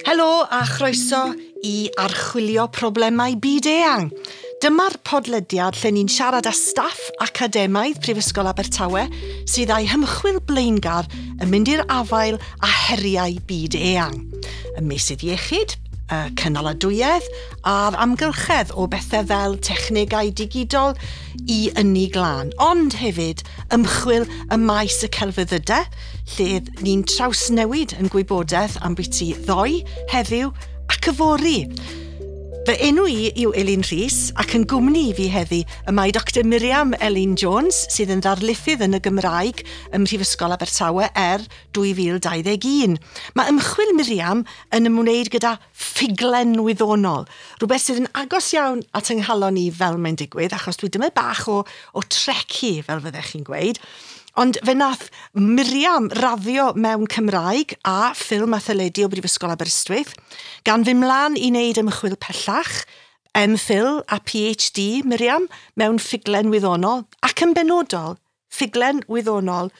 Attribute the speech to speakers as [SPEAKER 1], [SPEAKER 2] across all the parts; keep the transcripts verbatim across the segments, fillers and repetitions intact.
[SPEAKER 1] Helo a chroeso i Archwilio Problemau Byd Eang. Dyma'r podlediad lle ni'n siarad â staff academaidd Prifysgol Abertawe sydd â'i hymchwil blaengar yn mynd i'r afael â heriau byd eang. Y meysydd iechyd, y cynaladwyedd a'r amgylchedd, o bethau fel technegau digidol i ynni glân, ond hefyd ymchwil y maes y celfyddydau, lle ni'n trawsnewid yn gwybodaeth am byti ddoe, heddiw ac yfory. Fy enw i yw Elin Rhys, ac yn gwmni i fi heddi y mae Doctor Miriam Elin Jones, sydd yn ddarlithydd yn y Gymraeg ym Mhrifysgol Abertawe er dwy fil dau ddeg un. Mae ymchwil Miriam yn ymwneud gyda ffuglen wyddonol, rhywbeth sydd yn agos iawn at yng nghalon i, fel mae'n digwydd, achos dwi dyma bach o, o Trekkie, fel fyddech chi'n gweud. Ond fe nath Miriam raddio mewn Cymraeg a ffilm a theledu o Brifysgol Aberystwyth, gan fynd mlaen i wneud ymchwil pellach, M Phil a P H D Miriam mewn ffuglen wyddonol, ac yn benodol, ffuglen wyddonol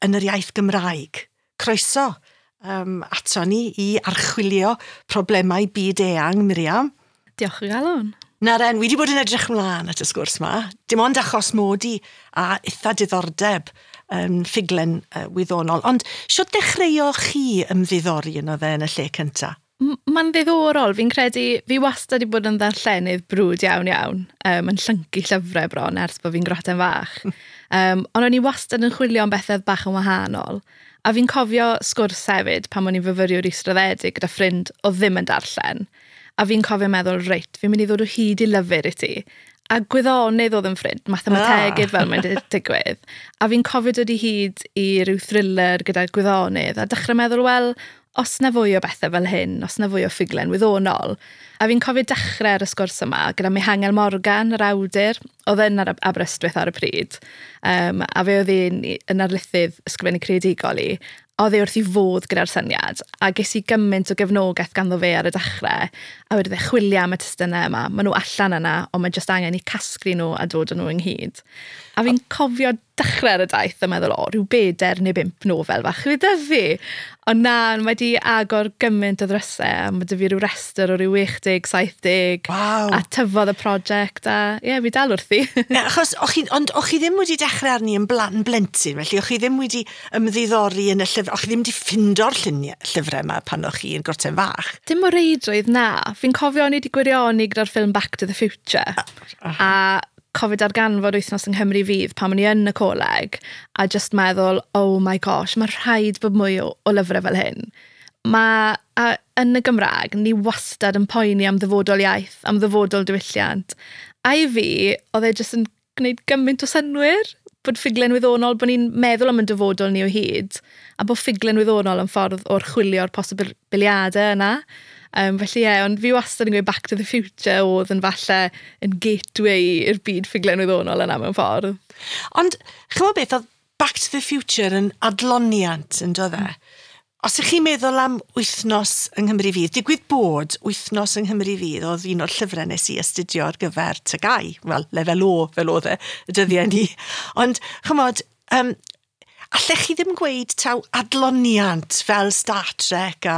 [SPEAKER 1] yn yr iaith Gymraeg. Croeso um, ato ni i Archwilio Problemau Byd Eang, Miriam.
[SPEAKER 2] Diolch o galon.
[SPEAKER 1] Naren, wi wedi bod yn edrych ymlaen at y sgwrs ma. Dim ond achos mod i a eitha diddordeb um, ffuglen uh, wyddonol. Ond sut dechreuoch chi ymddiddori yno fe yn y lle cynta?
[SPEAKER 2] Mae'n ddiddorol. Fi'n credu, fi wastad wedi bod yn ddarllenydd brwd iawn iawn. Um, yn llyncu llyfrau bron ers bod fi'n groten fach. Um, ond o'n i wastad yn chwilio am bethau bach yn wahanol. A fi'n cofio sgwrs hefyd pan o'n i'n fyfyriwr israddedig gyda ffrind oedd ddim yn darllen. A fi'n cofio meddwl, "Reit, fi'n mynd i ddod o hyd i lyfr i ti." A gwyddonydd oedd yn ffrind, mathemategydd, ah, fel mae'n digwydd. A fi'n cofio dod i hyd i ryw thriller gyda gwyddonydd a dechrau meddwl, wel, os na fwy o bethau fel hyn, os na fwy o ffuglen wyddonol. A fi'n cofio dechrau ar y sgwrs yma gyda Mihangel Morgan, yr awdur, oedd yn ar Aberystwyth ar y pryd. Um, a fe oedd un yn arlithydd ysgrifennu creadigol i. Oedd e wrth ei fodd gyda'r syniad, a ges i gymaint o gefnogaeth ganddo fe ar y dechrau, a wedi e chwilio am y testunau yma. Maen nhw allan yna, ond mae jyst angen i casglu nhw a dod â nhw ynghyd. A fi'n cofio dechrau ar y daith a meddwl, "O, rhyw bedair neu bump nofel fach fydd 'da fi." Ond na, mae wedi agor gymaint o ddrysau, a mae 'da fi rhyw restr o ryw chwe deg, saith deg.
[SPEAKER 1] Waw.
[SPEAKER 2] A tyfodd y prosiect, a ie, yeah, fi dal wrthi.
[SPEAKER 1] Yeah, achos, o'ch chi, ond o'ch chi ddim wedi dechrau arni yn, blan, yn blentyn, felly o'ch chi ddim wedi ymddiddori yn y llyfr, o'ch chi ddim wedi ffindo'r lluniau, llyfrau yma pan o'ch chi yn groten fach?
[SPEAKER 2] Dim o reidrwydd, na. Fi'n cofio o'n i wedi gwirioni gyda'r ffilm Back to the Future. A cofio darganfod Wythnos yng Nghymru Fydd pan o'n i yn y coleg a just meddwl, "Oh my gosh, mae rhaid bod mwy o, o lyfrau fel hyn." Mae, a yn y Gymraeg, ni wastad yn poeni am ddyfodol iaith, am ddyfodol diwylliant. A i fi, oedd e jyst yn gwneud gymaint o synwyr bod ffuglen wyddonol, bod ni'n meddwl am y dyfodol ni o hyd, a bod ffuglen wyddonol yn ffordd o'r chwilio'r posibiliadau yna. Um, felly ie, yeah, ond fi wastad yn gweud Back to the Future oedd yn falle yn gateway i'r byd ffuglen wyddonol yna mewn ffordd.
[SPEAKER 1] Ond, chymod beth, oedd Back to the Future yn adloniant, yn dod e? Os ych chi'n meddwl am Wythnos yng Nghymru Fydd, digwydd bod Wythnos yng Nghymru Fydd oedd un o'r llyfrau nes i astudio ar gyfer T G A U, wel, lefel O fel oedd e, y dyddiau ni. Ond, chymod, um, allech chi ddim gweud taw adloniant fel Star Trek a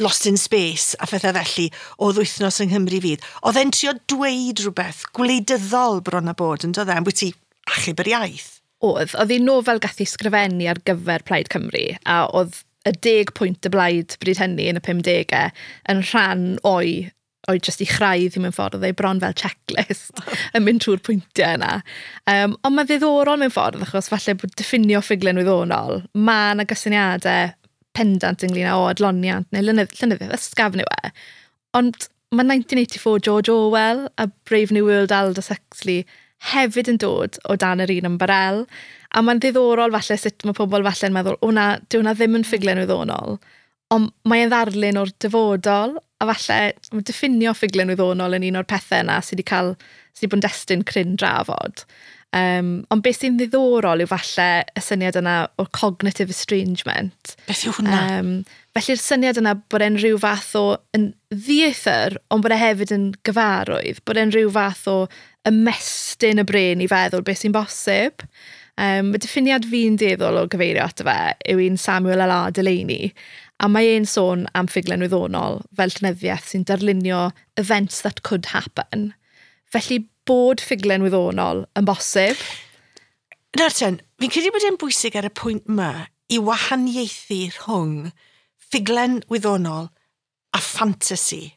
[SPEAKER 1] Lost in Space a phethau felly oedd Wythnos yng Nghymru Fydd? Oedd e'n trio dweud rhywbeth gwleidyddol bron a bod, yn dod e, ambwyty achub yr iaith?
[SPEAKER 2] Oedd. Oedd hi'n nofel gath ei sgrifennu ar gyfer Plaid Cymru, a oedd y deg pwynt y blaid bryd hynny yn y pumdegau yn rhan o'i o'i jyst i chraidd i mewn ffordd, oedd ei bron fel checklist yn mynd trwy'r pwyntiau yna. Um, ond mae ddiddorol mewn ffordd, achos falle bod diffinio ffuglen wyddonol, mae yna gysyniadau pendant ynglyn â o adloniant neu llenyddiaeth ysgafn yw e. Ond mae nineteen eighty-four George Orwell a Brave New World Aldous Huxley hefyd yn dod o dan yr un ymbarel. A mae'n ddiddorol falle sut mae pobl falle'n meddwl, "O na, dyw hwnna ddim yn ffuglen wyddonol." Ond mae'n ddarlun o'r dyfodol, a falle mae diffinio ffuglen wyddonol yn un o'r pethau yna sydd wedi cael, sydd wedi bod yn destun cryn drafod. Um, ond beth sy'n ddiddorol yw falle y syniad yna o cognitive estrangement.
[SPEAKER 1] Beth yw hwnna?
[SPEAKER 2] Um, felly'r syniad yna bod e'n rhyw fath o yn ddieithr, ond bod e hefyd yn gyfarwydd, bod e'n rhyw fath o ymestyn y brên i feddwl beth sy'n bosib. Um, y diffiniad fi'n dueddol o gyfeirio ato fe yw un Samuel L R. Delany, a mae e'n sôn am ffuglen wyddonol fel llenyddiaeth sy'n darlunio events that could happen. Felly bod ffuglen wyddonol yn bosib.
[SPEAKER 1] Nawr ten, fi'n credu bod e'n bwysig ar y pwynt yma i wahaniaethu rhwng ffuglen wyddonol a ffantasi.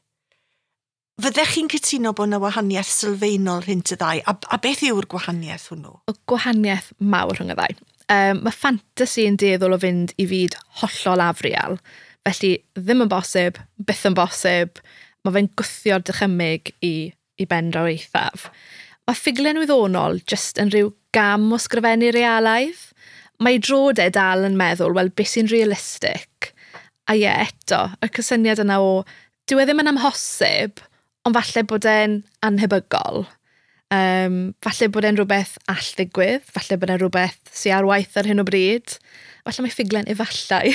[SPEAKER 1] Fyddech chi'n cytuno bod yna wahaniaeth sylfaenol rhynt y ddau? A, a beth yw'r gwahaniaeth hwnnw?
[SPEAKER 2] Y gwahaniaeth mawr rhwng y ddau. Um, mae ffantasi yn dueddol o fynd i fyd hollol afrial. Felly ddim yn bosib, byth yn bosib. Mae fe'n gwthio'r dychymyg i, i ben draw eithaf. Mae ffuglen wyddonol jyst yn rhyw gam o sgrifennu realaidd. Mae dro de dal yn meddwl, wel, beth sy'n realistig? A ie, eto, y cysyniad yna o, dyw e ddim yn amhosib, ond falle bod e'n anhebygol. Um, falle bod e'n rhywbeth all ddigwydd, falle bod e'n rhywbeth sy'n ar waith ar hyn o bryd. Falle mae ffuglen efallai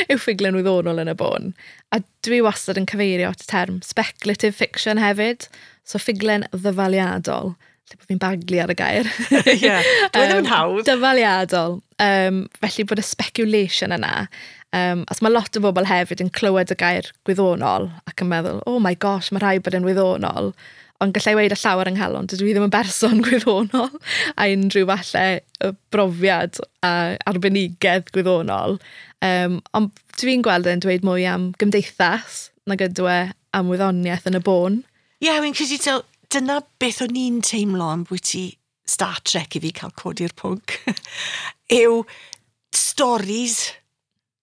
[SPEAKER 2] yw ffuglen wyddonol yn y bôn. A dwi wastad yn cyfeirio at y term speculative fiction hefyd, so ffuglen ddyfaliadol. Lle bod fi'n baglu ar y gair.
[SPEAKER 1] Ie, dwi ddim yn hawdd.
[SPEAKER 2] Dyfaliadol. Um, felly bod y speculation yna. Um, as mae lot o bobl hefyd yn clywed y gair gwyddonol ac yn meddwl, oh my gosh, mae rhaid bod yn wyddonol. Ond gallai weud â llawer yng nghalon, dydw i ddim yn berson gwyddonol a unrhyw falle brofiad a arbenigedd gwyddonol. Um, ond dwi'n gweld e'n dweud mwy am gymdeithas nag ydw e am wyddoniaeth yn y bôn.
[SPEAKER 1] Ie, yeah, wy'n credu taw, dyna beth o'n i'n teimlo am bwyty Star Trek i fi cael codi'r pwnc, yw stories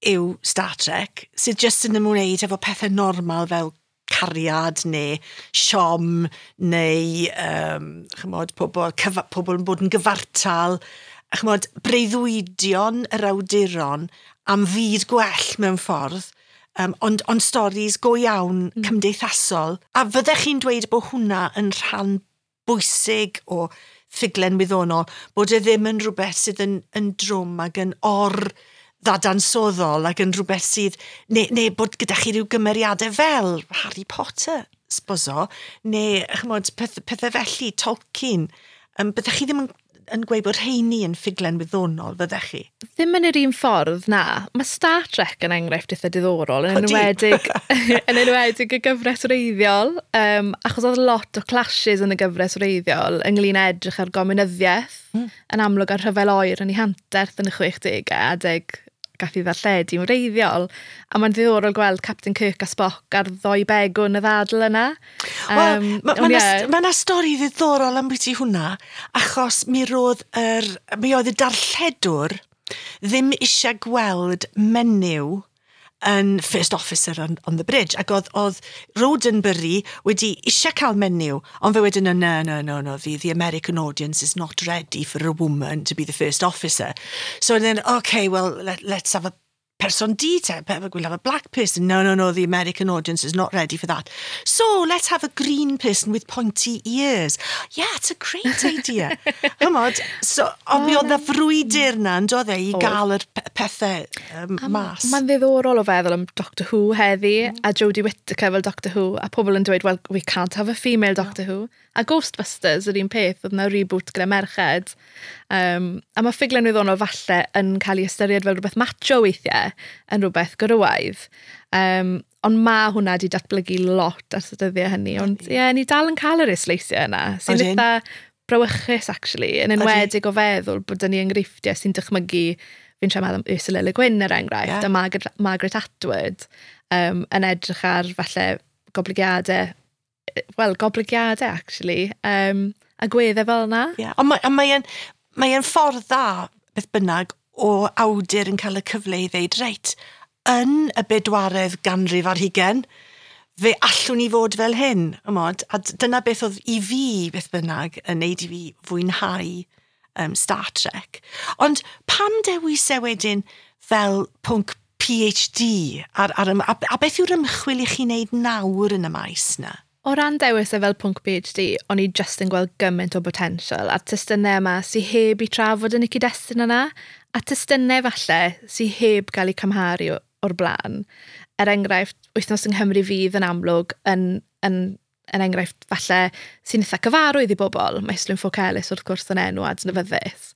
[SPEAKER 1] yw Star Trek, sydd jyst yn ymwneud efo pethau normal fel cariad neu siom neu um, chymod, pobl, cyfa, pobl yn bod yn gyfartal. A chymod, breuddwydion yr awduron am fyd gwell mewn ffordd, um, ond, ond storis go iawn mm. cymdeithasol. A fyddech chi'n dweud bod hwnna yn rhan bwysig o ffuglen wyddonol, bod e ddim yn rhywbeth sydd yn, yn drwm ac yn or ddadansoddol ac yn rhywbeth sydd, neu, neu bod gyda chi rhyw gymeriadau fel Harry Potter, sboso, neu chymod, peth, pethau felly, Tolkien. Um, byddech chi ddim yn, yn gweud bod rheini yn ffuglen wyddonol, fyddech chi?
[SPEAKER 2] Ddim yn yr un ffordd, na. Mae Star Trek yn enghraifft eitha diddorol, yn enwedig, yn enwedig y gyfres wreiddiol, um, achos oedd lot o clashes yn y gyfres wreiddiol ynglyn â edrych ar gomunyddiaeth, mm. yn amlwg ar rhyfel oer yn ei hanterth yn y chwechdegau, adeg gath i ddarlledu'n wreiddiol. A mae'n ddiddorol gweld Captain Kirk a Spock ar ddoi begwn y ddadl yna.
[SPEAKER 1] Wel, um, mae ma yeah. ma na stori ddiddorol am bwyty hwnna, achos mi roedd yr, mi oedd y darlledwr ddim eisiau gweld menyw yn first officer on, on the bridge. Ac oedd, oedd Roddenberry wedi eisiau cael menyw, ond fe wedyn, no, no, no, no, the, the American audience is not ready for a woman to be the first officer. So then, okay, well, let, let's have a person du te, we'll have a black person. No, no, no, the American audience is not ready for that. So let's have a green person with pointy ears. Yeah, it's a great idea. Chymod, so, ond mi oedd y frwydr na, yn doedd e, i gael yr pethau um, mas.
[SPEAKER 2] Mae'n ddiddorol o feddwl am Doctor Who heddi, mm. a Jodie Whittaker fel Doctor Who, a pobl yn dweud, well, we can't have a female Doctor no. Who. A Ghostbusters yr un peth, oedd yna reboot gyda merched. Um, a mae ffuglen wyddonol falle yn cael ei ystyried fel rhywbeth macho weithiau, yn rhywbeth gwrywaidd. Um, ond mae hwnna wedi datblygu lot ers y dyddiau hynny. Ond ie, yeah, ni dal yn cael yr isleisiau yna, sy'n eitha brawychus, actually, yn enwedig o feddwl bod ni enghreifftiau sy'n dychmygu, fi'n siarad am Ursula Le Guin er enghraifft, yeah. a Margaret, Margaret Atwood, um, yn edrych ar falle goblygiadau, wel, goblygiadau, actually, um, a gweddau fel yna.
[SPEAKER 1] Yeah. Ond mae, mae'n mae ffordd dda, beth bynnag, o awdur yn cael y cyfle i ddeud, reit, yn y bedwaredd ganrif ar hugen, fe allwn ni fod fel hyn, ymod, a dyna beth oedd i fi, beth bynnag, yn neud i fi fwynhau um, Star Trek. Ond pam dewis e wedyn fel pwnc P H D, ar, ar, a, a beth yw'r ymchwil i chi wneud nawr yn y maes na?
[SPEAKER 2] O ran dewis e fel pwnc P H D, o'n i just yn gweld gymaint o potensial, a'r testunau yma sy'n heb i trafod yn y cyd-destun yna, a testunau falle sy'n heb gael eu cymharu o'r blaen. Er enghraifft, Wythnos yng Nghymru Fydd yn amlwg yn, yn, yn enghraifft falle sy'n eitha cyfarwydd i bobl. Mae Islwyn Ffowc Elis wrth gwrs yn enw adnabyddus.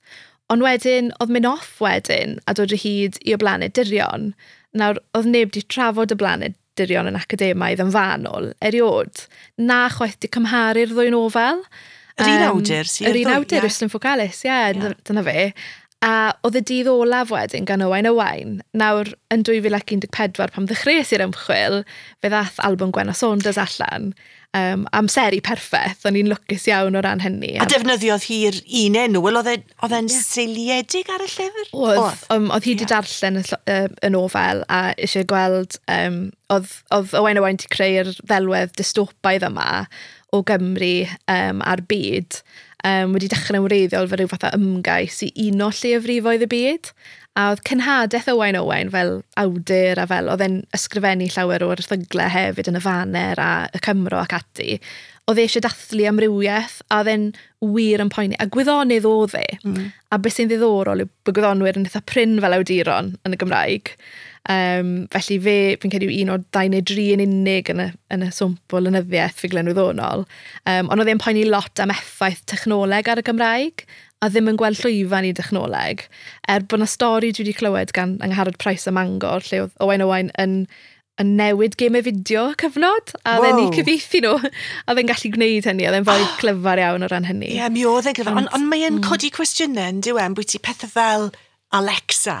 [SPEAKER 2] Ond wedyn, oedd mynd off wedyn a dod o hyd i O Blaned Dirion. Nawr, oedd neb wedi trafod Y Blaned Dirion yn academaidd yn fanwl, eriod. Na chwaith di cymharu'r ddwy nofel.
[SPEAKER 1] Yr un awdur sydd.
[SPEAKER 2] Yr un awdur, yeah. Rhysdyn Ffowc Elis, ie, yeah, yeah. Dyna fe. A oedd Y Dydd Olaf wedyn gan Owain Owain. Nawr, yn dwy fil un deg pedwar, pan ddechreuais i'r ymchwil, fe ddath album Gwenno Saunders allan. Um, amseru perffaith, o'n i'n lwcus iawn o ran hynny.
[SPEAKER 1] A defnyddiodd hi'r un enw, wel oedd e- oedd e'n yeah. seiliedig ar y llyfr?
[SPEAKER 2] Oedd, um, oedd hi wedi yeah. darllen y, y, y nofel a eisiau gweld, um, oedd, oedd Owain Owain wedi creu'r ddelwedd dystopaidd yma o Gymru um, a'r byd, um, wedi dechrau'n wreiddiol fel rhyw fath o ymgais i uno lleiafrifoedd y byd. A oedd cenhadaeth Owain Owain fel awdur a fel oedd e'n ysgrifennu llawer o'r erthyglau hefyd yn y Faner a y Cymro ac ati. Oedd e eisiau dathlu amrywiaeth a oedd e'n wir yn poeni. A gwyddonydd oedd e. Mm. A beth sy'n ddiddorol yw bod gwyddonwyr yn eitha prin fel awduron yn y Gymraeg. Um, felly fe, fi'n credu, un o'r dau neu dri yn unig yn y, yn y swmp o lenyddiaeth ffuglen wyddonol. Um, ond oedd e'n poeni lot am effaith technoleg ar y Gymraeg a ddim yn gweld llwyfan i dechnoleg. Er bod yna stori dwi wedi clywed gan Angharad Price ym Mangor, lle oedd Owain Owain yn, yn newid gemau fideo cyfnod, a oedd e'n eu cyfieithu nhw, a oedd e'n gallu gwneud hynny, oedd e'n fwy clyfar iawn o ran hynny.
[SPEAKER 1] Ie, yeah, mi oedd e'n glyfar, ond on, on mae e'n mm. codi cwestiynau, yn dyw e, bwyty pethau fel Alexa.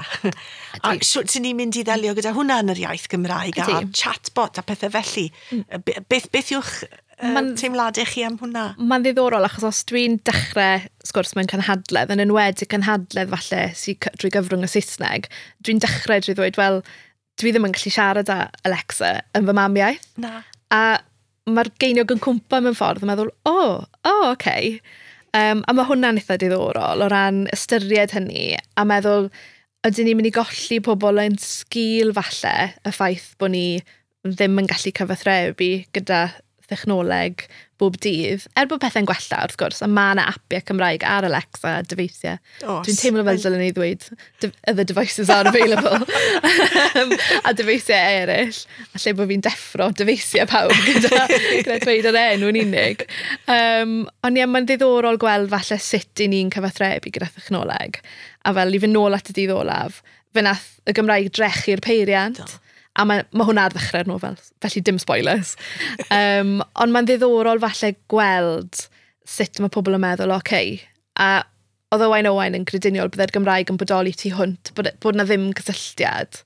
[SPEAKER 1] A sut sy'n ni'n mynd i ddelio gyda hwnna yn yr iaith Gymraeg a chatbot a pethau felly. Mm. Beth, beth yw'ch uh, teimladau chi am hwnna?
[SPEAKER 2] Mae'n ddiddorol achos os dwi'n dechrau sgwrs mewn cynhadledd, yn enwedig cynhadledd falle sy'n drwy gyfrwng y Saesneg, dwi'n dechrau drwy ddweud, "Wel, dwi ddim yn gallu siarad â Alexa yn fy mamiaith."
[SPEAKER 1] Na.
[SPEAKER 2] A mae'r geiniog yn cwmpa mewn ffordd yn meddwl, "O, oh, o, oh, okay." Okay. Um, a mae hwnna'n eitha diddorol o ran ystyried hynny a meddwl, ydyn ni'n mynd i golli pobl yn sgil falle y ffaith bod ni ddim yn gallu cyfathrebu gyda thechnoleg bob dydd? Er bod pethau'n gwella, wrth gwrs, a mae yna apiau Cymraeg ar Alexa a dyfeisiau. Dwi'n teimlo fel dylen ni ddweud, "Other devices are available." um, a dyfeisiau eraill. A lle bod fi'n deffro dyfeisiau pawb gyda, gyda dweud yr enw yn unig. Um, ond ie, mae'n ddiddorol gweld falle sut i ni'n cyfathrebu gyda thechnoleg. A fel i fynd nôl at Y Dydd Olaf, fe nath y Gymraeg drechu'r peiriant. Do. A mae, mae hwnna ar ddechrau'r nofel, felly dim spoilers. Um, ond mae'n ddiddorol falle gweld sut mae pobl yn meddwl, oce, okay. A oedd Owain Owain yn grediniol byddai'r Gymraeg yn bodoli tu hwnt, bod, bod na ddim cysylltiad.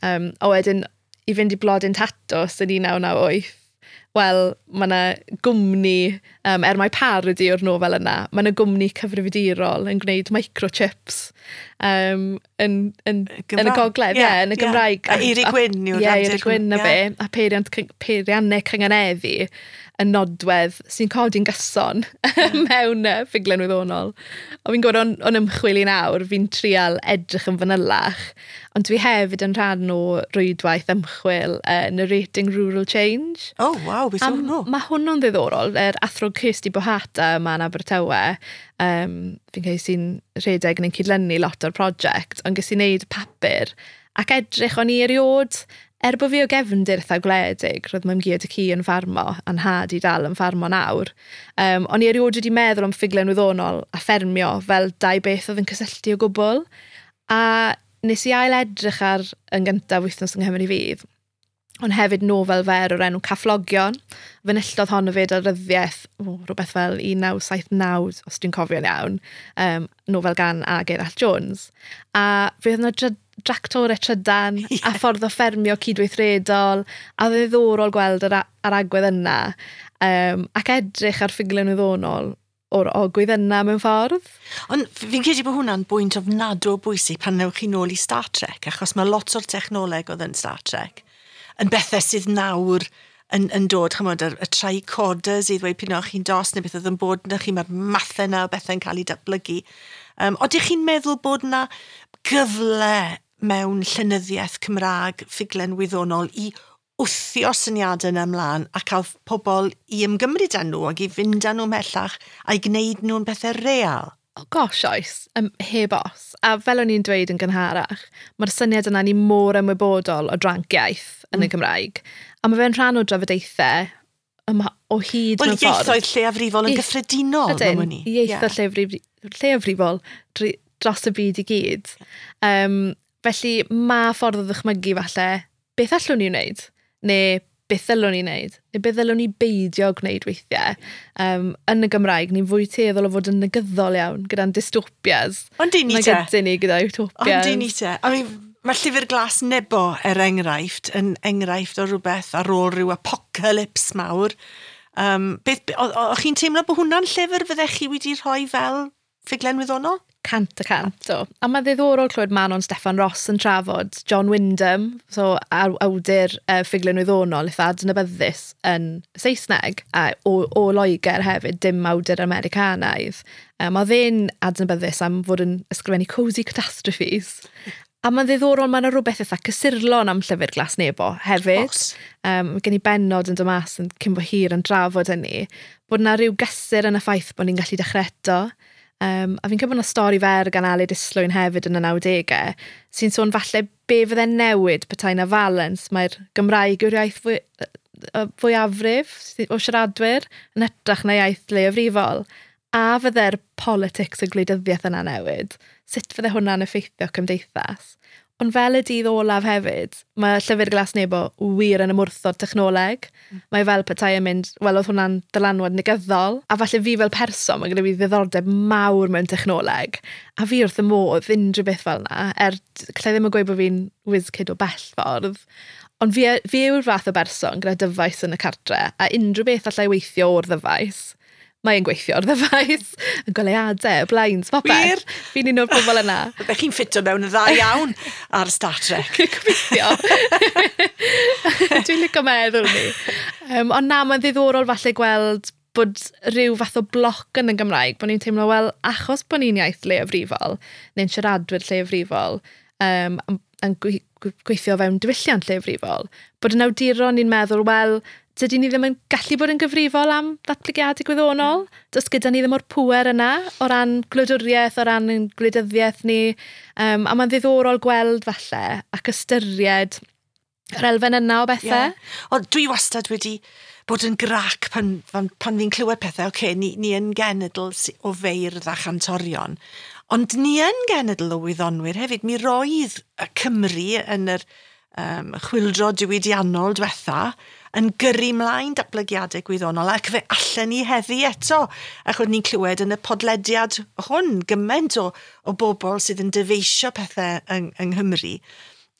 [SPEAKER 2] Um, a wedyn, i fynd i Blodyn Tatws yn un naw naw wyth, wel, mae yna gwmni, um, er mai parody o'r nofel yna, mae yna gwmni cyfrifiadurol yn gwneud microchips um, yn, yn, yn y gogledd, ie, yeah, yn y Gymraeg.
[SPEAKER 1] A Eirick Wynn
[SPEAKER 2] yw'r Ie, Eirick Wynn na fe, a peiriant, peiriannau cynganeddu yn nodwedd sy'n codi'n gyson yeah. mewn uh, ffuglen wyddonol. O fi'n gwybod o'n, on ymchwil i nawr, fi'n trial edrych yn fanylach, ond dwi hefyd yn rhan o rwydwaith ymchwil uh, Narrating Rural Change.
[SPEAKER 1] Oh, waw, beth yw hwnnw?
[SPEAKER 2] Mae hwnnw'n ddiddorol. Yr athro Kirsty Bohata yma yn Abertawe, um, fi'n credu sy'n rhedeg yn cydlynu lot o'r prosiect, ond ges i wneud papur ac edrych o'n i eriod, er bod fi o gefndir eitha gwledig, roedd mam-gu a tad-cu yn ffarmo, a'n nhad i dal yn ffarmo nawr. Um, o'n i erioed wedi meddwl am ffuglen wyddonol a ffermio fel dau beth oedd yn cysylltu o gwbl. A nes i ail edrych ar yn gyntaf Wythnos yng Nghymru Fydd, ond hefyd nofel fer o'r enw Cafflogion. Fe enillodd hon hefyd ar ryddiaeth, oh, rhywbeth fel un naw saith naw, os dwi'n cofio'n iawn, um, nofel gan A. Gerallt Jones. A fe oedd yna dractorau trydan yeah. a ffordd o ffermio cydweithredol, a oedd yn ddiddorol gweld yr, yr agwedd yna, um, ac edrych ar ffuglen wyddonol o'r ogwydd yna mewn ffordd.
[SPEAKER 1] Ond fi'n credu bod hwnna'n bwynt ofnadw o bwysig pan newch chi nôl i Star Trek, achos mae lot o'r technoleg oedd yn Star Trek yn bethau sydd nawr yn, yn dod, chymod, y, y tricorders i ddweud p'un o'ch chi'n dost neu beth oedd yn bod yna chi, mae'r mathau yna o bethau'n cael eu datblygu. Um, oeddech chi'n meddwl bod yna gyfle mewn llenyddiaeth Cymraeg ffuglen wyddonol i wthio syniadau yna ymlaen a cael pobl i ymgymryd â nhw ac i fynd â nhw ymhellach a'i gwneud nhw'n bethau real?
[SPEAKER 2] Oh gosh, oes, um, heb os. A fel o'n i'n dweud yn gynharach, mae'r syniad yna ni mor ymwybodol o dranc iaith yn mm. y Gymraeg. A mae fe'n rhan o drafodaethau yma o hyd
[SPEAKER 1] Wel, mewn ffordd. Ieithoedd lleiafrifol yn gyffredinol.
[SPEAKER 2] Ydyn, ieithoedd yeah. lleiafrifol, dros y byd i gyd. Um, felly mae ffordd o ddychmygu falle, beth allwn ni wneud? Neu beth ddylwn ni wneud? Neu beth ddylwn ni beidio gwneud weithiau? Um, yn y Gymraeg, ni'n fwy tueddol o fod yn negyddol iawn gyda'n dystopias.
[SPEAKER 1] Ond dyn ni te.
[SPEAKER 2] Mae ni gyda utopias.
[SPEAKER 1] Ond dyn ni te. I mean, mae Llyfr Glas Nebo, er enghraifft, yn enghraifft o rhywbeth ar ôl rhyw apocalypse mawr. Um, beth, o'ch chi'n teimlo bod hwnna'n llyfr fyddech chi wedi rhoi fel ffuglen wyddonol?
[SPEAKER 2] Cant y cant, o. A mae ddiddorol clywed Manon Steffan Ross yn trafod John Wyndham, so awdur uh, ffuglen wyddonol eitha adnabyddus yn Saesneg, a o, o Loegr hefyd, dim awdur Americanaidd. Um, oedd e'n adnabyddus am fod yn ysgrifennu cosy catastrophes. A mae'n ddiddorol, mae'n rhywbeth eitha cysurlon am Llyfr Glas Nebo hefyd. Um, gen i bennod yn dod mas yn cyn bo hir yn trafod hynny, bod yna rhyw gysur yn y ffaith bod ni'n gallu dechrau eto. Um, a fi'n credu bod yna stori fer gan Aled Islwyn hefyd yn y nawdegau, sy'n sôn falle be fydde'n newid petai na falens. Mae'r Gymraeg yw'r iaith fwy, fwyafrif o siaradwyr yn hytrach na iaith leiafrifol. A fydde'r politics y gwleidyddiaeth yna newid? Sut fydde hwnna'n effeithio cymdeithas? Ond fel y dydd olaf hefyd, mae Llyfr Glas Nebo wir yn ymwrthod technoleg. Mm. Mae fel petai yn mynd, wel, oedd hwnna'n dylanwad negyddol. A falle fi fel person, mae gyda fi ddiddordeb mawr mewn technoleg. A fi wrth y modd unrhyw beth fel yna, er gallai ddim yn gweud bod fi'n whiz kid o bell ffordd. Ond fi, fi yw'r fath o berson gyda dyfais yn y cartre, a unrhyw beth allai weithio o'r ddyfais, mae'n gweithio o'r ddyfais, y goleuadau, y blinds, popeth. Fi'n un o'r bobl yna.
[SPEAKER 1] Byddech chi'n ffito mewn yn dda iawn ar Star Trek.
[SPEAKER 2] Gobeithio. Dwi'n licio meddwl ni. Um, ond na, mae'n ddiddorol falle gweld bod rhyw fath o bloc yn y Gymraeg, bod ni'n teimlo, wel, achos bod ni'n iaith leiafrifol, neu'n siaradwyr leiafrifol, um, yn gweithio fewn diwylliant leiafrifol, bod yn awduron ni'n meddwl, wel, dydyn ni ddim yn gallu bod yn gyfrifol am ddatblygiadau gwyddonol. Does gyda ni ddim o'r pŵer yna o ran gwladwriaeth, o ran gwleidyddiaeth ni. Um, a mae'n ddiddorol gweld falle ac ystyried yr elfen yna o bethau.
[SPEAKER 1] Yeah. Ond dwi wastad wedi bod yn grac pan, pan, pan fi'n clywed pethau, oce, okay, ni, ni yn genedl o feirdd a chantorion, ond ni yn genedl o wyddonwyr hefyd. Mi roedd y Cymru yn yr um, chwyldro diwydiannol diwetha yn gyrru mlaen datblygiadau gwyddonol, ac fe allan ni heddi eto, achos ni'n clywed yn y podlediad hwn gymaint o, o bobl sydd yn dyfeisio pethau yng, yng Nghymru.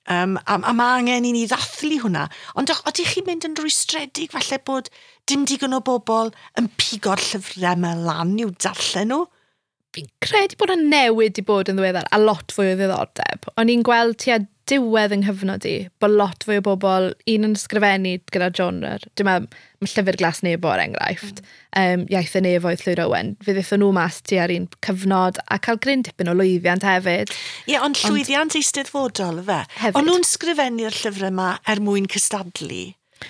[SPEAKER 1] Um, a, a mae angen i ni ddathlu hwnna. Ond ydych chi'n mynd yn rwystredig falle bod dim digon o bobl yn pigo'r llyfrau yma lan i'w darllen nhw?
[SPEAKER 2] Fi'n credu bod yna newid 'di bod yn ddiweddar a lot fwy o ddiddordeb. O'n i'n gweld tua diwedd yng nghyfnod i bod lot fwy o bobl, un yn ysgrifennu gyda genre. Dwi'n meddwl, mae Llyfr Glas Nebo er enghraifft, mm. um, Iaith y Nefoedd Llwyd Owen. Fe ddaethon nhw mas tua'r un cyfnod a cael gryn dipyn o lwyddiant hefyd.
[SPEAKER 1] Ie, yeah, ond llwyddiant eisteddfodol, fe.
[SPEAKER 2] Hefyd.
[SPEAKER 1] O'n nhw'n sgrifennu'r llyfrau yma er mwyn cystadlu,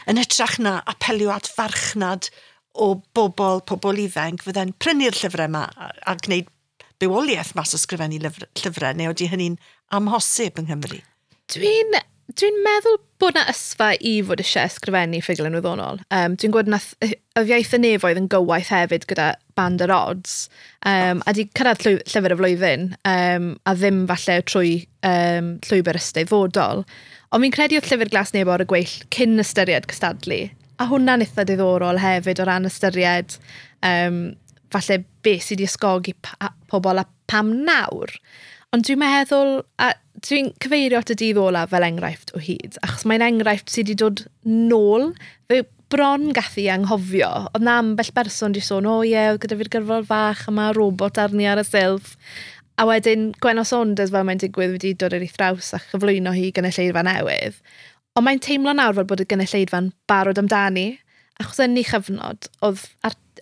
[SPEAKER 1] yn hytrach na apelio at farchnad o bobl, pobl ifanc, fydde'n prynu'r llyfrau yma a, a gwneud bywoliaeth mas o sgrifennu llyfrau, neu oeddi hynny'n amhosib yng Nghymru?
[SPEAKER 2] Dwi'n dwi meddwl bod na ysfa i fod eisiau ysgrifennu ffuglen wyddonol. Um, dwi'n gwybod nath y Iaith y Nefoedd yn gywaith hefyd gyda Band yr Odds, um, a di cyrraedd llyfr y flwyddyn, um, a ddim falle trwy um, llwybr eisteddfodol. Ond fi'n credu oedd Llyfr Glas Nebo ar y gweill cyn ystyried cystadlu. A hwnna'n eitha diddorol hefyd o ran ystyried um, falle beth sydd wedi ysgogi pobl a pam nawr. Ond dwi'n meddwl, a dwi'n cyfeirio at y dydd olaf fel enghraifft o hyd, achos mae'n enghraifft sydd wedi dod nôl, fe bron gathu anghofio. Oedd na ambell berson wedi sôn, o ie, oedd gyda fi'r gyfrol fach yma, robot arni ar y silff. A wedyn Gwenno Saunders, fel mae'n digwydd, wedi dod ar ei thraws a chyflwyno hi gynulleidfa newydd. Ond mae'n teimlo nawr fel bod y gynulleidfa'n barod amdani, achos yn ei chyfnod, oedd,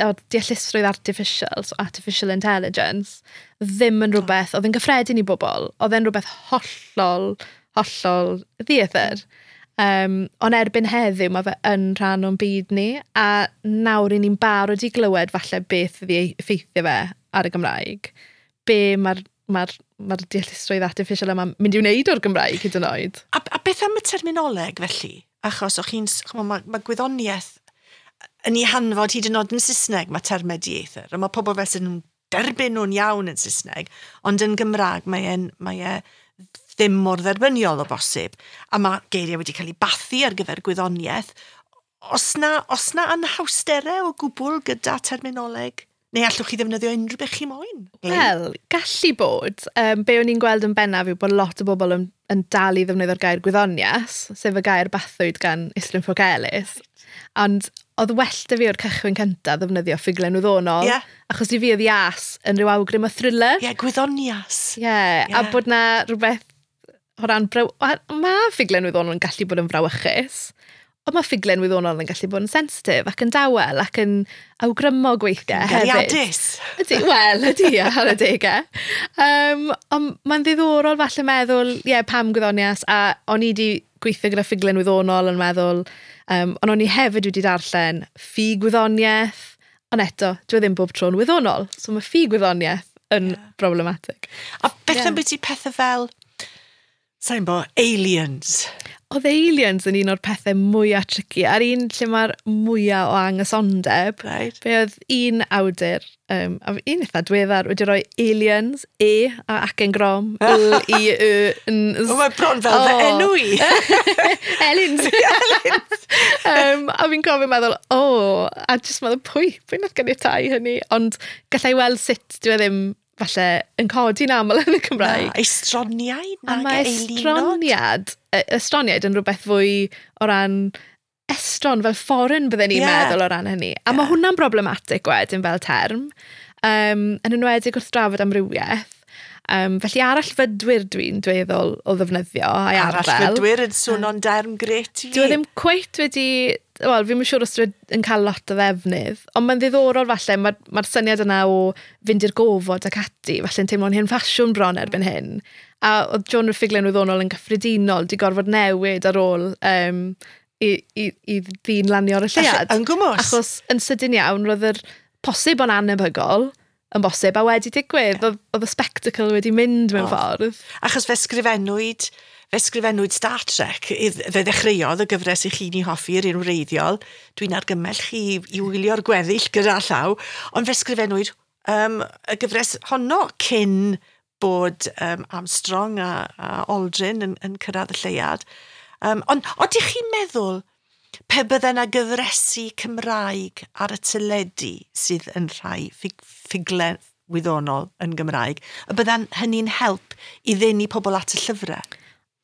[SPEAKER 2] oedd deallusrwydd artificial, so artificial intelligence, ddim yn rhywbeth, oedd yn gyffredin i bobl, oedd yn rhywbeth hollol, hollol ddieithr. Um, ond erbyn heddiw mae fe yn rhan o'n byd ni, a nawr i ni'n barod i glywed falle beth fydd ei effeithio fe ar y Gymraeg. Be mae'r mae'r mae'r deallusrwydd artificial yma'n mynd i wneud o'r Gymraeg hyd yn oed.
[SPEAKER 1] A, a beth am y terminoleg felly? Achos o'ch chi'n, mae ma gwyddoniaeth yn ei hanfod hyd yn oed yn Saesneg, mae termau dieithr, a mae pobl fel sy'n derbyn nhw'n iawn yn Saesneg, ond yn Gymraeg mae e'n mae e ddim mor dderbyniol o bosib. A mae geiriau wedi cael eu bathu ar gyfer gwyddoniaeth. Os na, os na anhawsterau o gwbl gyda terminoleg? Neu allwch chi ddefnyddio unrhyw beth chi moyn?
[SPEAKER 2] Wel, gallu bod. Um, be o'n i'n gweld yn bennaf yw bod lot o bobl yn, yn dal i ddefnyddio'r gair gwyddonias, sef y gair bathwyd gan Islwyn Ffowc Elis. Ond oedd well 'da fi o'r cychwyn cyntaf ddefnyddio ffuglen wyddonol.
[SPEAKER 1] Yeah.
[SPEAKER 2] Achos i fi oedd ias yn rhyw awgrym o thriller.
[SPEAKER 1] Ie, yeah, gwyddonias.
[SPEAKER 2] Ie, yeah, yeah. A bod na rhywbeth o ran... Braw... Mae ffuglen wyddonol yn gallu bod yn frawychus, ond mae ffuglen wyddonol yn gallu bod yn sensitif ac yn dawel ac yn awgrymog weithiau hefyd.
[SPEAKER 1] Gariadus.
[SPEAKER 2] Ydy, wel, ydy, ar y degau. Um, ond mae'n ddiddorol falle meddwl, ie, yeah, pam gwyddonias, a o'n i wedi gweithio gyda ffuglen wyddonol yn meddwl, um, ond o'n i hefyd wedi darllen ffug wyddoniaeth, ond eto, dwi e ddim bob tro'n wyddonol, so mae ffug wyddoniaeth yn yeah. problematic.
[SPEAKER 1] A beth yeah. am beth i pethau fel, sa'n bo, aliens?
[SPEAKER 2] Oedd aliens yn un o'r pethau mwyaf tricky, a'r un lle mae'r mwyaf o angysondeb.
[SPEAKER 1] Right.
[SPEAKER 2] Fe oedd un awdur, um, a un eitha diweddar, wedi rhoi aliens, E, a acen grom, L, I, E, N,
[SPEAKER 1] Z. O, mae bron fel oh. fy enw i.
[SPEAKER 2] Elins.
[SPEAKER 1] Elins.
[SPEAKER 2] um, a fi'n cofio meddwl, o, oh, a jyst meddwl, pwy, pwy nath ganiatáu hynny? Ond gallai weld sut dwi e ddim falle yn codi'n aml yn y Cymraeg.
[SPEAKER 1] Na, estroniaid,
[SPEAKER 2] A
[SPEAKER 1] nag
[SPEAKER 2] mae
[SPEAKER 1] eilinod.
[SPEAKER 2] estroniad, estroniaid yn rhywbeth fwy o ran estron, fel foreign bydden ni'n
[SPEAKER 1] Ie.
[SPEAKER 2] yeah. meddwl o ran hynny. A yeah. mae hwnna'n problematic wedyn fel term, um, yn enwedig wrth drafod amrywiaeth. Um, felly arallfydwyr dwi'n dueddol o ddefnyddio a'i arddel.
[SPEAKER 1] Arallfydwyr yn swnio'n derm gret i fi.
[SPEAKER 2] Dwi e ddim cweit wedi... Wel, fi'n siŵr os dwi yn cael lot o ddefnydd, ond mae'n ddiddorol falle, mae'r mae syniad yna o fynd i'r gofod ac ati, falle'n teimlo'n hen ffasiwn bron erbyn hyn. A oedd genre ffuglen wyddonol yn gyffredinol di gorfod newid ar ôl um, i, i, i ddyn lanio ar y lleuad.
[SPEAKER 1] Yn gwmws.
[SPEAKER 2] Achos yn sydyn iawn, roedd yr posib o'n anebygol yn bosib a wedi digwydd. Oedd, oedd y spectacle wedi mynd mewn
[SPEAKER 1] Oedd.
[SPEAKER 2] ffordd.
[SPEAKER 1] Achos fe sgrifennwyd, fe sgrifennwyd Star Trek, i- fe ddechreuodd y gyfres i chi'n ei hoffi, yr un wreiddiol. Dwi'n argymell chi i, i wylio'r gweddill gyda llaw, ond fe sgrifennwyd um, y gyfres honno cyn bod um, Armstrong a, a Aldrin yn, yn cyrraedd y lleuad. Um, ond oeddech chi'n meddwl pe bydde yna gyfresi Cymraeg ar y teledu sydd yn rhai ffug, ffuglen wyddonol yn Gymraeg, y bydda'n hynny'n help i ddenu pobl at y llyfrau?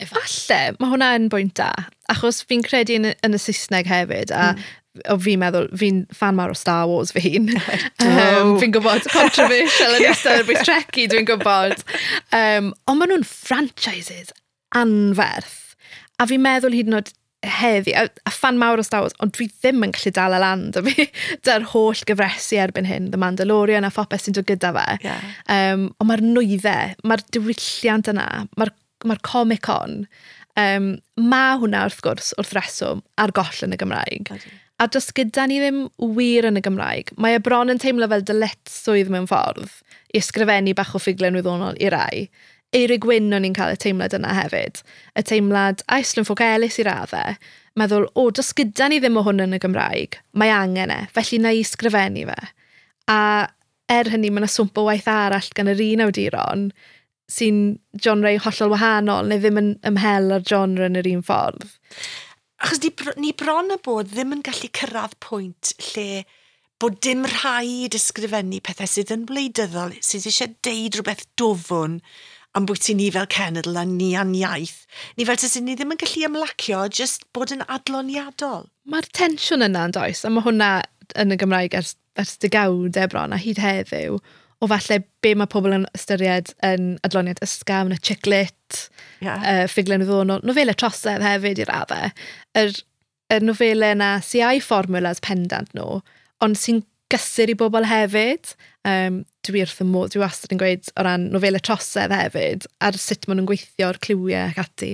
[SPEAKER 2] Falle, mae hwnna yn bwynt da, achos fi'n credu yn, yn y Saesneg hefyd, a mm. o fi'n meddwl, fi'n fan mawr o Star Wars fy hun. um, fi'n gwybod, controversial yn eistedd ar bwys Trekkie, dwi'n gwybod. Um, ond maen nhw'n franchises anferth. A fi'n meddwl hyd yn oed heddi, a, a fan mawr o Star Wars, ond dwi ddim yn gallu dal y lan 'da fi, da'r holl gyfresi erbyn hyn, The Mandalorian a phopeth sy'n dod gyda fe.
[SPEAKER 1] Yeah.
[SPEAKER 2] Um, ond mae'r nwyddau, mae'r diwylliant yna, mae'r mae'r Comic-Con, um, mae hwnna wrth gwrs wrth reswm ar goll yn y Gymraeg.
[SPEAKER 1] Ydi.
[SPEAKER 2] A does gyda ni ddim wir yn y Gymraeg. Mae e bron yn teimlo fel dyletswydd mewn ffordd i ysgrifennu bach o ffuglen wyddonol i rai. Eurig Wyn o'n i'n cael y teimlad yna hefyd. Y teimlad, a Islwyn Ffowc Elis i raddau, meddwl, o, does gyda ni ddim o hwn yn y Gymraeg, mae angen e, felly na i ysgrifennu fe. A er hynny, mae yna swmp o waith arall gan yr un awduron sy'n genre hollol wahanol, neu ddim yn ymhel ar genre yn yr un ffordd.
[SPEAKER 1] Achos ni, br- ni bron a bod ddim yn gallu cyrraedd pwynt lle bod dim rhaid ysgrifennu pethau sydd yn wleidyddol, sydd eisiau deud rhywbeth dwfwn am bwyty ni fel cenedl a ni a'n iaith. Ni fel tase ni ddim yn gallu ymlacio, just bod yn adloniadol.
[SPEAKER 2] Mae'r tensiwn yna yn does, a mae hwnna yn y Gymraeg ers, ers degawdau bron a hyd heddiw, o falle be mae pobl yn ystyried yn adloniad ysgafn, y chick lit,
[SPEAKER 1] Yeah.
[SPEAKER 2] uh, ffuglen wyddonol, nofelau trosedd hefyd i raddau. Yr, y nofelau yna sy â'i fformulas pendant nhw, ond sy'n gysur i bobl hefyd. Um, dwi wrth y modd, dwi wastad yn gweud o ran nofelau trosedd hefyd, ar sut maen nhw'n gweithio, o'r cliwiau ac ati.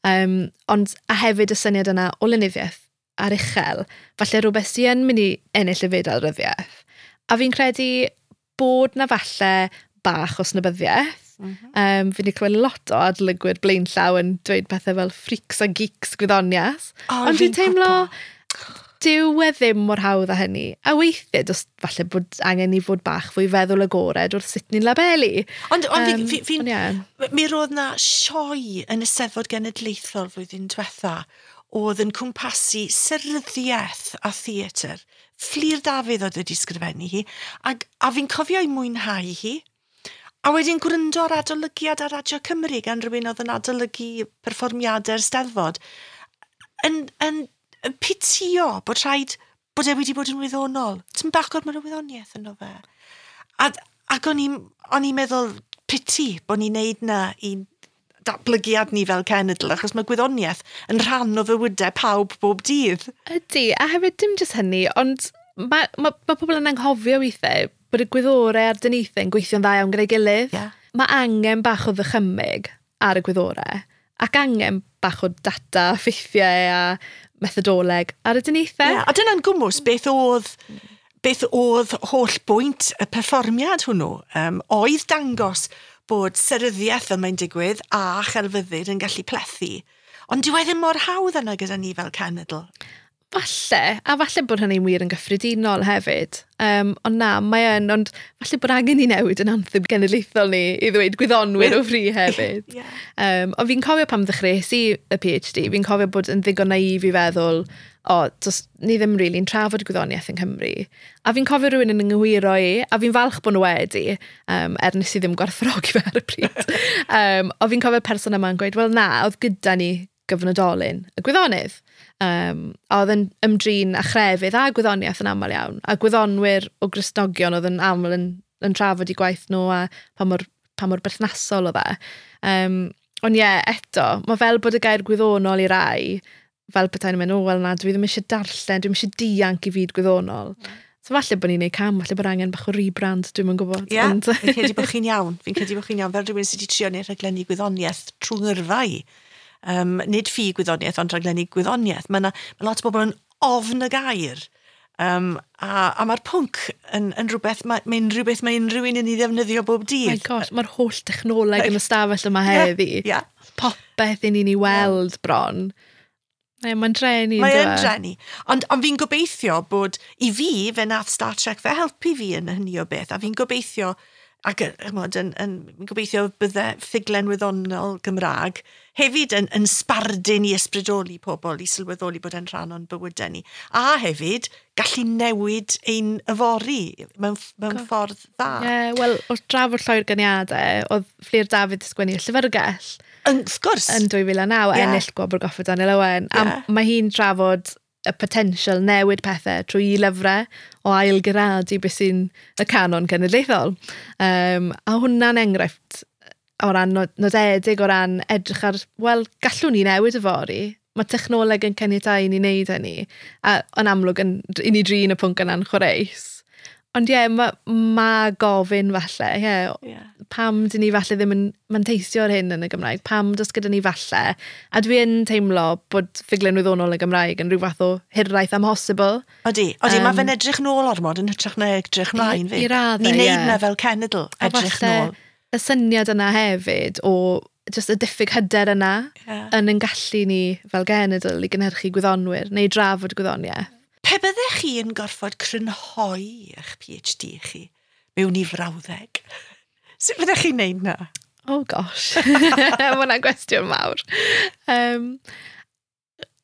[SPEAKER 2] Um, ond, a hefyd y syniad yna o lenyddiaeth ar uchel, falle rhywbeth sy'n yn mynd i ennill y fedal ryddiaeth. A fi'n credu bod na falle bach o snobyddiaeth. Mm -hmm. um, fi wedi clywed lot o adlygwyr blaenllaw yn dweud pethau fel freaks a geeks gwyddonias.
[SPEAKER 1] O,
[SPEAKER 2] Ond dwi'n
[SPEAKER 1] fi'n
[SPEAKER 2] teimlo,
[SPEAKER 1] gwbod.
[SPEAKER 2] Dyw e ddim mor hawdd â hynny. A weithiau, dos, falle bod angen i fod bach fwy feddwl agored wrth sut ni'n labelu.
[SPEAKER 1] Ond, ond um, fi, fi, fi, yeah. Mi roedd na sioe yn y Steddfod Genedlaethol flwyddyn diwetha oedd yn cwmpasu seryddiaeth a theatr. Fflur Dafydd oedd wedi sgrifennu hi, a, a fi'n cofio i mwynhau hi. A wedyn gwrando ar adolygiad ar Radio Cymru gan rhywun oedd yn adolygu perfformiadau'r Steddfod. Yn, yn yn pitio bod rhaid bod e wedi bod yn wyddonol. Ti'n bach gormod o wyddoniaeth yno fe. A, ac o'n i'n meddwl piti bod ni'n neud na i datblygiad ni fel cenedl, achos mae gwyddoniaeth yn rhan o fywydau pawb bob dydd.
[SPEAKER 2] Ydy, a hefyd dim jyst hynny, ond mae, ma, ma pobl yn anghofio weithiau bod y gwyddorau a'r dyniaethau yn gweithio'n dda iawn gyda'i gilydd. Yeah. Mae angen bach o ddychymyg ar y gwyddorau, ac angen bach o data, ffeithiau a methodoleg ar y dyniaethau.
[SPEAKER 1] Yeah, a dyna'n gwmws beth oedd, beth oedd holl bwynt y perfformiad hwnnw. Um, oedd dangos bod seryddiaeth fel mae'n digwydd a chelfyddyd yn gallu plethu. Ond dyw e ddim mor hawdd yna gyda ni fel cenedl.
[SPEAKER 2] Falle, a falle bod hynny'n wir yn gyffredinol hefyd. Um, ond na, mae yn, ond falle bod angen i newid yn anthem genedlaethol ni i ddweud gwyddonwyr o fri hefyd.
[SPEAKER 1] Yeah.
[SPEAKER 2] Um, ond fi'n cofio pam ddechreuais i y PhD, fi'n cofio bod yn ddigon naif i feddwl, o, dos, ni ddim really'n trafod gwyddoniaeth yng Nghymru. A fi'n cofio rhywun yn ynghywiro i, a fi'n falch bod nhw wedi, um, er nes i ddim gwerthfawrogi fe ar y pryd. um, ond fi'n cofio person yma'n gweud, wel na, oedd gyda ni gyfnodolyn, y gwyddonydd. Um, a oedd yn ymdrin a chrefydd a gwyddoniaeth yn aml iawn. A gwyddonwyr o Gristnogion oedd yn aml yn, yn trafod i gwaith nhw a pa mor, pa mor berthnasol oedd e. Um, ond ie, yeah, eto, mae fel bod y gair gwyddonol i rai, fel petai nhw'n mynd, o, wel na, dwi ddim eisiau darllen, dwi'm eisiau dianc i fyd gwyddonol. Mm. So falle bod ni'n neud cam, falle bod angen bach o rebrand, dwi'm yn gwybod.
[SPEAKER 1] Ie, yeah, fi'n credu bod chi'n iawn. Fi'n credu bod chi'n iawn, fel rhywun sydd wedi trio neud rhaglenni gwyddoniaeth trwy ngyrfa i. Um, nid ffug gwyddoniaeth, ond rhaglenni gwyddoniaeth. Mae yna ma lot o bobl yn ofn y gair. Um, a, a mae'r pwnc yn, yn rhywbeth, mae'n mae rhywbeth mae unrhyw un yn ei ddefnyddio bob dydd.
[SPEAKER 2] My gosh, mae'r holl technoleg yn y stafell yma heddi.
[SPEAKER 1] Yeah, yeah.
[SPEAKER 2] Popeth i ni'n ei weld bron. Mae mae'n dreni.
[SPEAKER 1] Mae'n dreni. Ond, ond fi'n gobeithio bod, i fi, fe nath Star Trek fe helpu fi yn hynny o beth, a fi'n gobeithio ac chymod, yn, yn, yn gobeithio bydde ffuglen wyddonol Gymraeg hefyd yn, yn sbardun i ysbrydoli pobl i sylweddoli bod e'n rhan o'n bywydau ni. A hefyd, gallu newid ein yfory mewn, mewn ffordd dda.
[SPEAKER 2] Ie, yeah, wel, wrth drafod lloi'r gyniadau, oedd Fflur Dafydd sgwennu y Llyfrgell.
[SPEAKER 1] Yn, wrth gwrs.
[SPEAKER 2] Yn dwy fil a naw, yeah. Ennill Gwobr Goffa Daniel Owen. Yeah. A mae hi'n trafod y potensial newid pethau trwy i lyfrau o ailgyradu beth sy'n y canon cenedlaethol. Um, a hwnna'n enghraifft o ran nodedig, o ran edrych ar, wel, gallwn ni newid yfory. Mae technoleg yn caniatáu i ni wneud hynny. A yn amlwg yn, i ni drin y pwnc yna'n chwareus. Ond ie, yeah, mae ma gofyn falle, ie. Yeah. Yeah. Pam dyn ni falle ddim yn manteisio ar hyn yn y Gymraeg? Pam does gyda ni falle? A dwi yn teimlo bod ffuglen wyddonol y Gymraeg yn rhyw fath o hiraeth amhosibl.
[SPEAKER 1] Odi, odi, um, mae fe'n edrych nôl ormod yn hytrach na edrych mlaen fi.
[SPEAKER 2] I raddau,
[SPEAKER 1] Ni'n neud na fel cenedl, edrych nôl.
[SPEAKER 2] Y syniad yna hefyd o just y diffyg hyder yna yeah. yn yn gallu ni fel genedl i gynhyrchu gwyddonwyr neu drafod gwyddoniaeth.
[SPEAKER 1] Pe byddech chi yn gorfod crynhoi eich PhD chi mewn i frawddeg, sut byddech chi'n neud na?
[SPEAKER 2] Oh gosh, mae hwnna'n gwestiwn mawr. Um,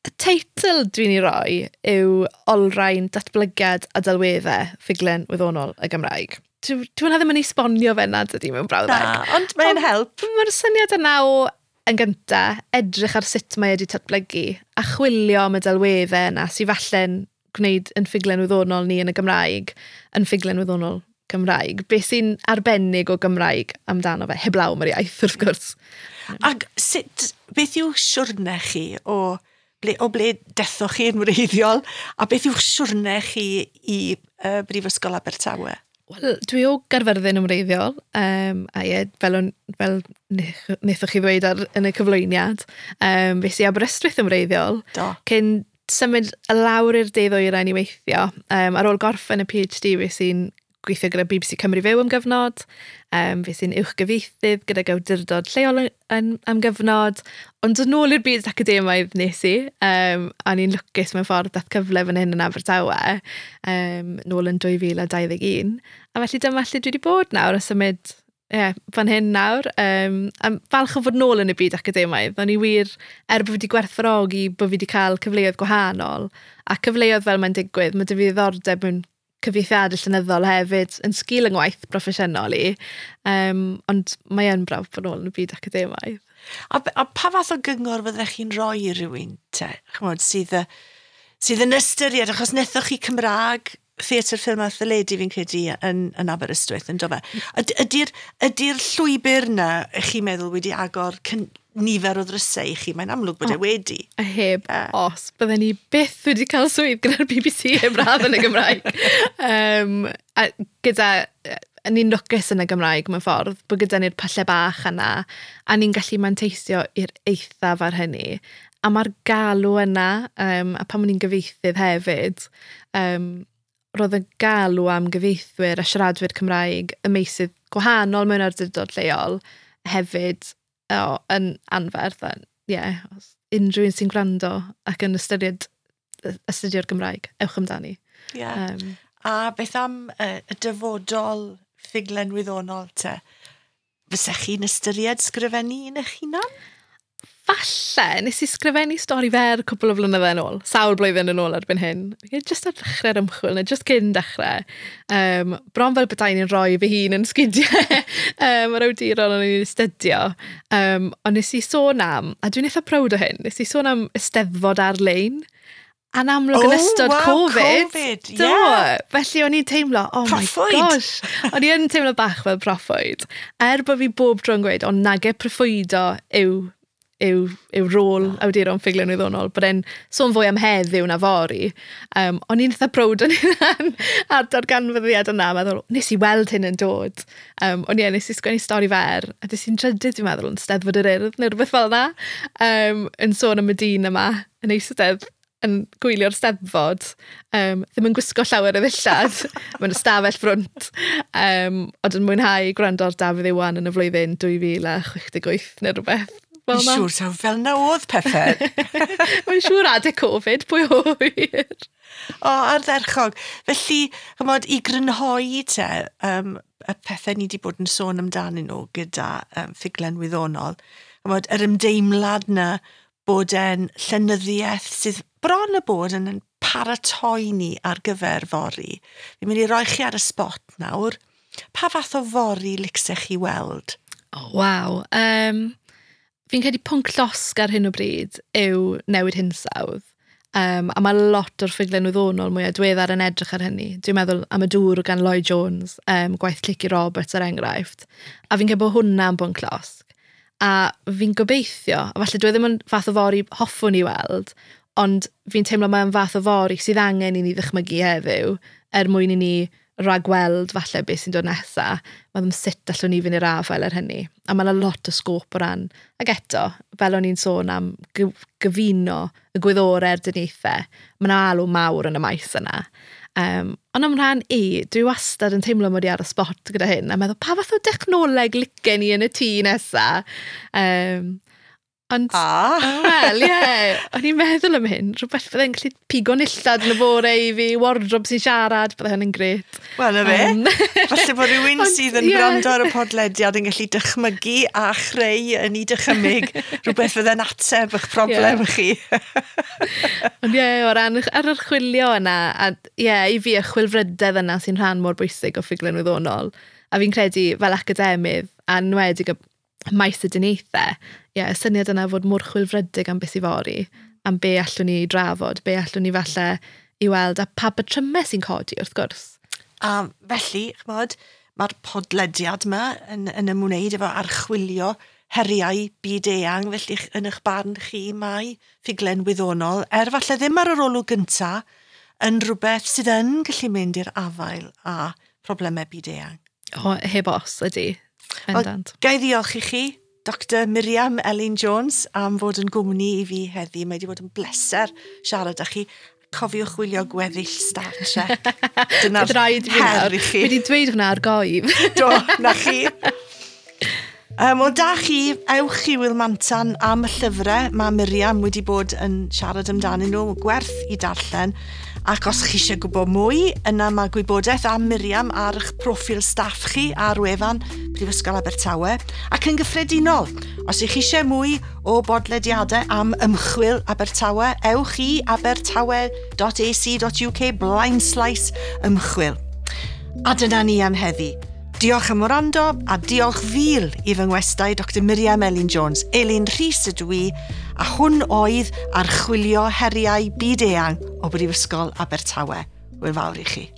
[SPEAKER 2] y teitl dwi'n ei roi yw Olrhain Datblygiad a Delweddau Ffuglen Wyddonol y Gymraeg. Dwi hwnna ddim yn esbonio fe na dydy mewn brawddeg.
[SPEAKER 1] Na, ond mae'n help.
[SPEAKER 2] Mae'r syniad yna o, yn gynta, edrych ar sut mae wedi datblygu a chwilio am y delweddau yna sydd falle'n gwneud yn ffuglen wyddonol ni yn y Gymraeg, yn ffuglen wyddonol Cymraeg. Be sy'n arbennig o Gymraeg amdano fe, heblaw am yr iaith, wrth gwrs.
[SPEAKER 1] Ac sut, beth yw siwrne chi o ble, o ble dethoch chi yn wreiddiol, a beth yw'ch siwrne chi i uh, Brifysgol Abertawe?
[SPEAKER 2] Wel, dwi o Gaerfyrddin yn wreiddiol, um, a ie, fel, on, fel wnaethoch chi ddweud ar, yn y cyflwyniad, um, fe si Aberystwyth yn wreiddiol.
[SPEAKER 1] Do.
[SPEAKER 2] Cyn symud lawr i'r de ddwyrain i weithio. Um, ar ôl gorffen y PhD, fe sy'n gweithio gyda B B C Cymru Fyw am gyfnod, um, fues i'n uwchgyfieithydd gydag awdurdod lleol yn, am gyfnod, ond yn ôl i'r byd academaidd nes i, um, a ni'n lwcus mewn ffordd dath cyfle fan hyn yn Abertawe, um, nôl yn dwy fil a dau ddeg un. A felly dyma lle dwi wedi bod nawr a symud yeah, fan hyn nawr. Um, a falch o fod nôl yn y byd academaidd. O'n i wir, er bod fi wedi gwerthfawrogi bod fi wedi cael cyfleoedd gwahanol, a cyfleoedd fel mae'n digwydd, mae 'da fi ddiddordeb mewn cyfieithiadau llenyddol hefyd yn sgil yng ngwaith broffesiynol i. Um, ond mae yn braf bod nôl yn y byd academaidd.
[SPEAKER 1] A, a pa fath o gyngor fyddech chi'n rhoi i rywun te, ch'mod, sydd, sydd yn ystyried, achos wnaethoch chi Cymraeg, theatr, ffilm a theledu fi'n credu yn, yn Aberystwyth, yn do fe? Ydy'r ydy llwybr yna, ych chi'n meddwl, wedi agor cyn, nifer o ddrysau i chi? Mae'n amlwg bod e wedi.
[SPEAKER 2] A heb uh. os, bydden ni byth wedi cael swydd gyda'r B B C heb radd yn y Gymraeg. um, a gyda, ni'n lwcus yn y Gymraeg mewn ffordd, bod gyda ni'r pyllau bach yna, a ni'n gallu manteisio i'r eithaf ar hynny. A mae'r galw yna, um, a pan o'n i'n gyfieithydd hefyd, um, roedd y galw am gyfieithwyr a siaradwyr Cymraeg y meysydd gwahanol mewn awdurdod lleol hefyd o, yn anferth. A, yeah, os unrhyw un sy'n gwrando ac yn ystyried astudio'r Gymraeg, ewch amdani.
[SPEAKER 1] Yeah. Um, a beth am uh, y dyfodol ffuglen wyddonol te? Fysech chi'n ystyried sgrifennu un eich hunan?
[SPEAKER 2] Falle, nes i sgrifennu stori fer cwpl o flynyddoedd yn ôl, sawl blwyddyn yn ôl erbyn hyn. Just ar ddechrau'r ymchwil, neu just cyn dechrau. Um, bron fel petai ni'n rhoi fy hun yn sgidiau um, yr awduron o'n i'n astudio. Um, ond nes i sôn am, a dwi'n eitha proud o hyn, nes i sôn am Eisteddfod ar-lein. A'n amlwg yn
[SPEAKER 1] oh,
[SPEAKER 2] ystod
[SPEAKER 1] wow,
[SPEAKER 2] Covid.
[SPEAKER 1] COVID,
[SPEAKER 2] Do.
[SPEAKER 1] Yeah.
[SPEAKER 2] Felly o'n i'n teimlo, oh
[SPEAKER 1] proffwyd.
[SPEAKER 2] My gosh. O'n i yn teimlo bach fel proffwyd. Er bod fi bob tro'n gweud, ond nage proffwydo yw, yw, yw rôl awduron ffuglen wyddonol, bod e'n sôn fwy am heddiw na fory. Um, o'n i'n eitha proud o'n hunan ar darganfyddiad yna, meddwl, nes i weld hyn yn dod. Um, ond ie, nes i sgwennu stori fer, a des i'n trydydd, dwi'n meddwl, yn Steddfod yr Urdd, neu rhywbeth fel yna, um, yn sôn am y dyn yma, yn eistedd yn gwylio'r Steddfod, um, ddim yn gwisgo llawer o ddillad, mewn ystafell frwnt, um, ond yn mwynhau gwrando ar Dafydd Iwan yn y flwyddyn dwy fil a chwech deg wyth neu rhywbeth. Fel
[SPEAKER 1] Fi'n
[SPEAKER 2] 'na.
[SPEAKER 1] siŵr taw fel 'na oedd pethau.
[SPEAKER 2] Mae'n siŵr adeg Covid, pwy ŵyr.
[SPEAKER 1] O, ardderchog. Felly, ch'mod, i grynhoi te, um, y pethau ni wedi bod yn sôn amdanyn nhw gyda um, ffuglen wyddonol, ch'mod, yr ymdeimlad na bod e'n llenyddiaeth sydd bron y bod yn, yn paratoi ni ar gyfer fory. Fi'n mynd i roi chi ar y spot nawr. Pa fath o fory licsech chi weld?
[SPEAKER 2] Oh, waw. Um, fi'n credu pwnc llosg ar hyn o bryd yw newid hinsawdd. Um, a mae lot o'r ffuglen wyddonol mwyaf diweddar yn edrych ar hynny. Dwi'n meddwl am y dŵr gan Lloyd Jones, um, gwaith Lleucu Roberts er enghraifft. A fi'n credu bod hwnna'n bwnc llosg. A fi'n gobeithio, a falle dwi ddim yn fath o fory hoffwn i weld, ond fi'n teimlo mae'n fath o fory sydd angen i ni ddychmygu heddiw er mwyn i ni ragweld falle beth sy'n dod nesa, meddwl sut allwn ni fynd i'r afael ar hynny. A mae 'na lot o sgôp o ran, ac eto, fel o'n i'n sôn am gyfuno y gwyddorau a'r dyniaethau, mae 'na alw mawr yn y maes yna. Um, ond am rhan i, dwi wastad yn teimlo mod i ar y spot gyda hyn, a meddwl, pa fath o dechnoleg licen i yn y tŷ nesa? Um, ond,
[SPEAKER 1] ah.
[SPEAKER 2] Wel, ie, yeah, o'n i'n meddwl am hyn, rhywbeth byddai'n gallu pigo nillad yn y bore i fi, wardrobe sy'n siarad, byddai hynny'n grêt.
[SPEAKER 1] Wel, na fe.
[SPEAKER 2] Um,
[SPEAKER 1] Falle bod rhywun
[SPEAKER 2] ond,
[SPEAKER 1] sydd yn
[SPEAKER 2] ie.
[SPEAKER 1] gwrando ar y podlediad yn gallu dychmygu a chreu yn ei dychymyg rhywbeth fydde'n ateb eich problem
[SPEAKER 2] Ie.
[SPEAKER 1] chi.
[SPEAKER 2] Ond ie, o ran ar yr chwilio yna, a ie, i fi y chwilfrydedd yna sy'n rhan mor bwysig o ffuglen wyddonol. A fi'n credu fel academydd, a enwedig y maes y dyniaethau, ie, y syniad yna fod mor chwilfrydig am beth sydd fory, am be allwn ni drafod, be allwn ni falle i weld, a pa batrymau sy'n codi wrth gwrs.
[SPEAKER 1] A felly, ch'mod, mae'r podlediad yma yn, yn ymwneud efo archwilio heriau byd eang, felly ch-, yn eich barn chi mae ffuglen wyddonol, er falle ddim ar yr olwg gynta, yn rhywbeth sydd yn gallu mynd i'r afael â problemau byd eang.
[SPEAKER 2] O, heb os, ydy.
[SPEAKER 1] Wel,
[SPEAKER 2] Bendant.
[SPEAKER 1] ga i ddiolch i chi, Doctor Miriam Elin Jones, am fod yn gwmni i fi heddi. Mae wedi bod yn bleser siarad â chi. Cofiwch wylio gweddill Star Trek. Dyna'r
[SPEAKER 2] rhaid i fi
[SPEAKER 1] her
[SPEAKER 2] nawr.
[SPEAKER 1] i chi.
[SPEAKER 2] Fi wedi dweud hwnna ar goedd.
[SPEAKER 1] Do, na chi. Um, wel, da chi, ewch i Wil Mantan am y llyfrau. Mae Miriam wedi bod yn siarad amdanyn nhw, gwerth i darllen. Ac os chi eisiau gwybod mwy, yna mae gwybodaeth am Miriam ar eich proffil staff chi ar wefan Prifysgol Abertawe. Ac yn gyffredinol, os ych chi eisiau mwy o bodlediadau am ymchwil Abertawe, ewch i abertawe dot A C dot U K blaenslaes ymchwil. A dyna ni am heddi. Diolch am wrando a diolch fil i fy ngwestai Doctor Miriam Elin Jones. Elin Rhys ydw i, a hwn oedd Archwilio Heriau Byd-eang o Brifysgol Abertawe. Hwyl fawr i chi.